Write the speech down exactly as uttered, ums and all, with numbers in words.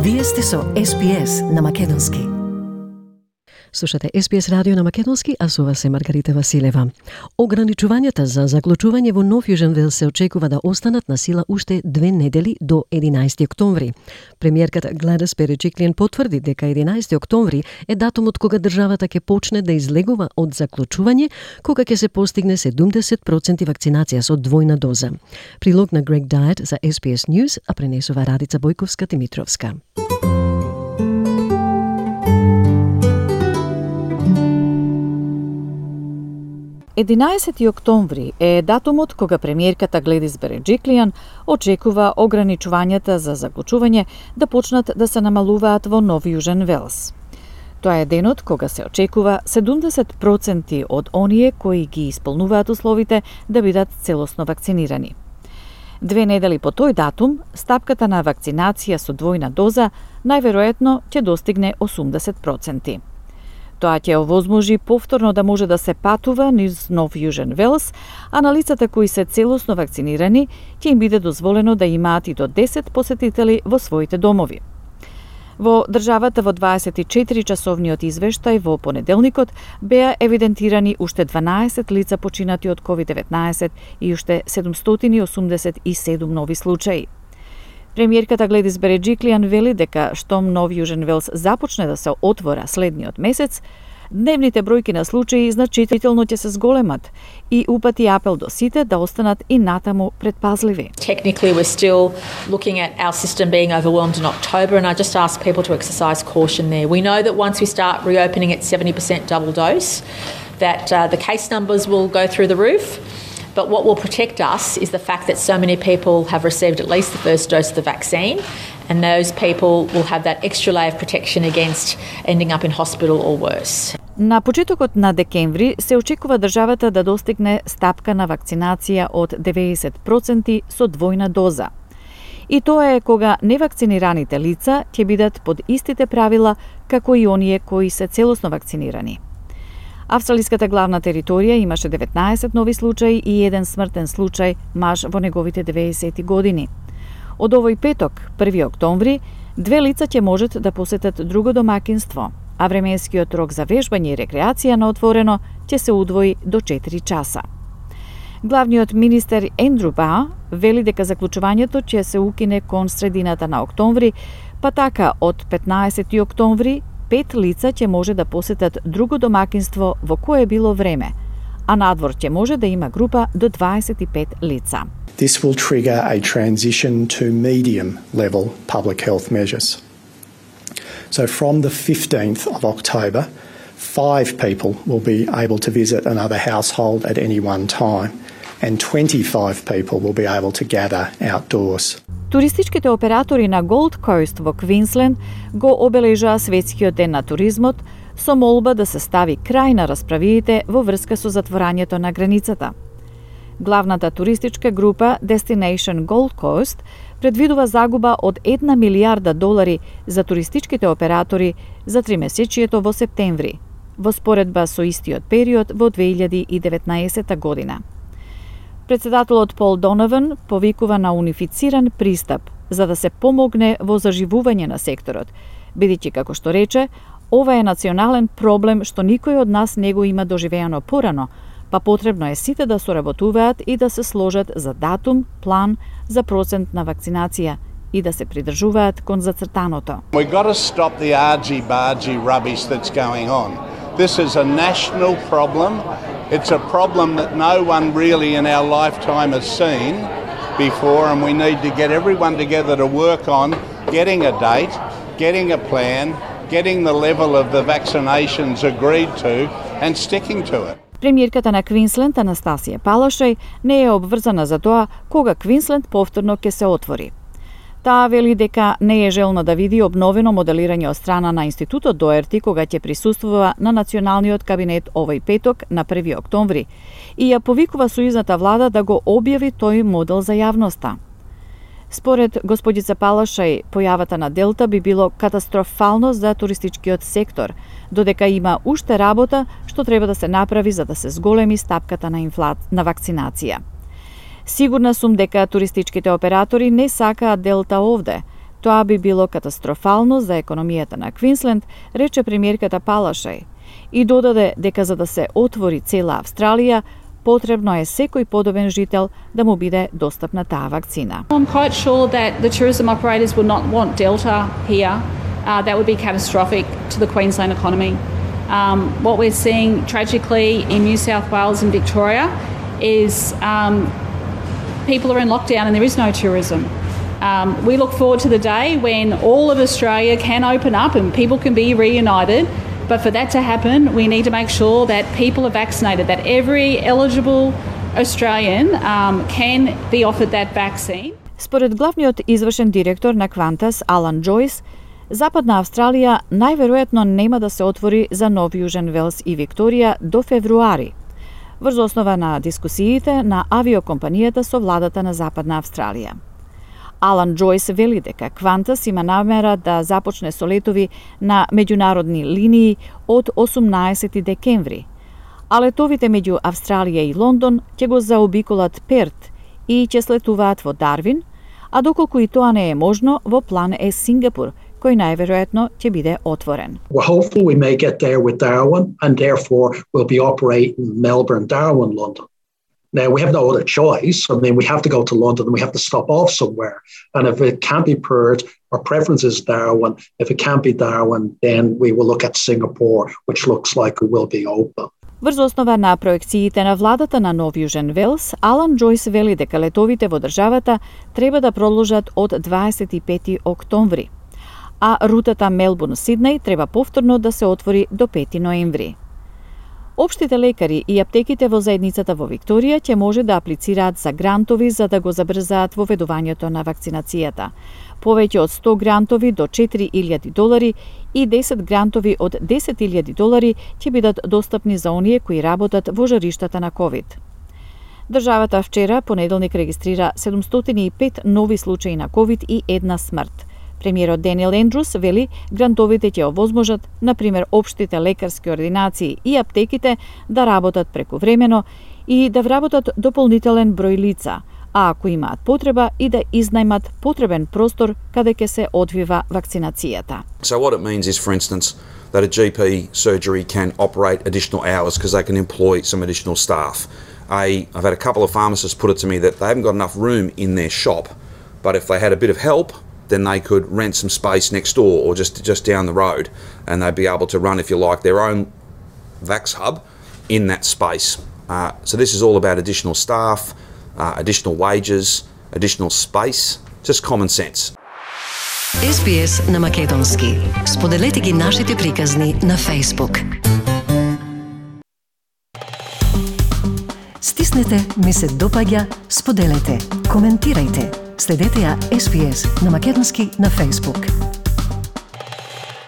Вие сте со Ес Би Ес на Македонски. Слушате Ес Би Ес радио на Македонски, а со вас е Маргарита Василева. Ограничувањата за заклучување во Нов Јужен Велс се очекува да останат на сила уште две недели до единаесети октомври. Премиерката Гледис Береджиклиан потврди дека единаесети октомври е датумот кога државата ќе почне да излегува од заклучување, кога ќе се постигне седумдесет проценти вакцинација со двојна доза. Прилог на Грег Дайет за Ес Би Ес News, а пренесува Радица Бојковска-Тимитровска. единаесети октомври е датумот кога премиерката Гледис Береджиклиан очекува ограничувањата за заклучување да почнат да се намалуваат во Нов Јужен Велс. Тоа е денот кога се очекува седумдесет проценти од оние кои ги исполнуваат условите да бидат целосно вакцинирани. Две недели по тој датум, стапката на вакцинација со двојна доза најверојатно ќе достигне осумдесет проценти. Тоа ќе овозможи повторно да може да се патува низ Нов Јужен Велс, а на лицата кои се целосно вакцинирани ќе им биде дозволено да имаат и до десет посетители во своите домови. Во државата во дваесет и четири часовниот извештај во понеделникот беа евидентирани уште дванаесет лица починати од ковид деветнаесет и уште седумстотини осумдесет и седум нови случаи. Премиерката Гледис Береджиклиан вели дека штом Нов Јужен Велс започне да се отвора следниот месец, дневните бројки на случаи значително ќе се зголемат и упати апел до сите да останат и натаму предпазливи. Technically we're still looking at our system being overwhelmed in October, and I just ask people to exercise caution there. We know that once we start reopening at seventy percent double dose, that uh, the case numbers will go through the roof. But what will protect us is the fact that so many people have received at least the first dose of the vaccine, and those people will have that extra layer of protection against ending up in hospital or worse. На почетокот на декември се очекува државата да достигне стапка на вакцинација од деветдесет проценти со двојна доза. И тоа е кога невакцинираните лица ќе бидат под истите правила како и оние кои се целосно вакцинирани. Австралиската главна територија имаше деветнаесет нови случаи и еден смртен случај маж во неговите деветдесети години. Од овој петок, први октомври, две лица ќе можат да посетат друго домакинство, а временскиот рок за вежбање и рекреација на отворено ќе се удвои до четири часа. Главниот министер Ендрю Ба вели дека заклучувањето ќе се укине кон средината на октомври, па така од петнаесети октомври пет лица ќе може да посетат друго домакинство во кое било време, а надвор ќе може да има група до дваесет и пет лица. This will trigger a transition to medium level public health measures. So from the fifteenth of October, five people will be able to visit another household at any one time, and twenty-five people will be able to gather outdoors. Туристичките оператори на Gold Coast во Квинсленд го обележаа светскиот ден на туризмот со молба да се стави крај на расправиите во врска со затворањето на границата. Главната туристичка група Destination Gold Coast предвидува загуба од една милијарда долари за туристичките оператори за тримесечието во септември, во споредба со истиот период во две илјади и деветнаесета година. Председателот Пол Донован повикува на унифициран пристап за да се помогне во заживување на секторот, бидејќи, како што рече, ова е национален проблем што никој од нас не го има доживеано порано, па потребно е сите да соработуваат и да се сложат за датум, план за процент на вакцинација и да се придржуваат кон зацртаното. We got to stop the argy-bargy rubbish that's going on. This is a national problem. It's a problem that no one really in our lifetime has seen before, and we need to get everyone together to work on getting a date, getting a plan, getting the level of the vaccinations agreed to and sticking to it. Премиерката на Квинсленд Анастасија Палашај не е обврзана за тоа кога Квинсленд повторно ќе се отвори. Таа вели дека не е желна да види обновено моделирање од страна на Институтот Доерти кога ќе присуствува на националниот кабинет овој петок на први октомври и ја повикува сојузната влада да го објави тој модел за јавноста. Според господица Палашај, појавата на Делта би било катастрофално за туристичкиот сектор, додека има уште работа што треба да се направи за да се зголеми стапката на инфла... на вакцинација. Сигурна сум дека туристичките оператори не сакаат Делта овде, Тоа би било катастрофално за економијата на Квинсленд, рече премиерката Палашај, и додаде дека за да се отвори цела Австралија, потребно е секој подобен жител да му биде достапна таа вакцина. I'm quite sure that the tourism operators would not want Delta here. Uh, that would be catastrophic to the Queensland economy. Um, what we're seeing tragically in New South Wales and Victoria is um, people are in lockdown and there is no tourism. Um, we look forward to the day when all of Australia can open up and people can be reunited. But for that to happen, we need to make sure that people are vaccinated, that every eligible Australian um, can be offered that vaccine. Според главниот извршен директор на Qantas, Алан Джойс, Западна Австралија најверојатно нема да се отвори за Нов Јужен Велс и Викторија до февруари, врз основа на дискусиите на авиокомпанијата со владата на Западна Австралија. Алан Джойс вели дека Qantas има намера да започне со летови на меѓународни линии од осумнаесети декември, а летовите меѓу Австралија и Лондон ќе го заобиколат Перт и ќе слетуваат во Дарвин, а доколку и тоа не е можно, во план е Сингапур, кој најверојатно ќе биде отворен. We're hopeful we may get there with Darwin and therefore we'll be operating Melbourne, Darwin, London. Now, we have no other choice. I mean, we have to go to London and we have to stop off somewhere. And if it can't be Perth, our preference is Darwin. If it can't be Darwin, then we will look at Singapore, which looks like it will be open. Врз основа на проекциите на владата на Нов Јужен Велс, Алан Джойс вели дека летовите во државата треба да продолжат од дваесет и пети октомври, а рутата Мелбурн-Сиднеј треба повторно да се отвори до пети ноември. Општите лекари и аптеките во заедницата во Викторија ќе може да аплицираат за грантови за да го забрзаат воведувањето на вакцинацијата. Повеќе од сто грантови до четири илјади долари и десет грантови од десет илјади долари ќе бидат достапни за оние кои работат во жариштата на ковид. Државата вчера, понеделник, регистрира седумстотини и пет нови случаи на ковид и една смрт. Премиерот Даниел Ендрус вели грантовите ќе овозможат, например, општите лекарски ординации и аптеките да работат прекувремено и да вработат дополнителен број лица, а ако имаат потреба и да изнајмат потребен простор каде ќе се одвива вакцинацијата. So what it means is, for instance, that a G P surgery can operate additional hours because they can employ some additional staff. A, I've had a couple of pharmacists put it to me that they haven't got enough room in their shop, but if they had a bit of help, then they could rent some space next door or just just down the road, and they'd be able to run, if you like, their own Vax hub in that space. Uh, so this is all about additional staff, uh, additional wages, additional space, just common sense. Ес Би Ес на македонски. Споделете ги нашите приказни на Facebook. Стиснете, ми се допаѓа, споделете, коментирајте. Следете ја Ес Би Ес на македонски на Facebook.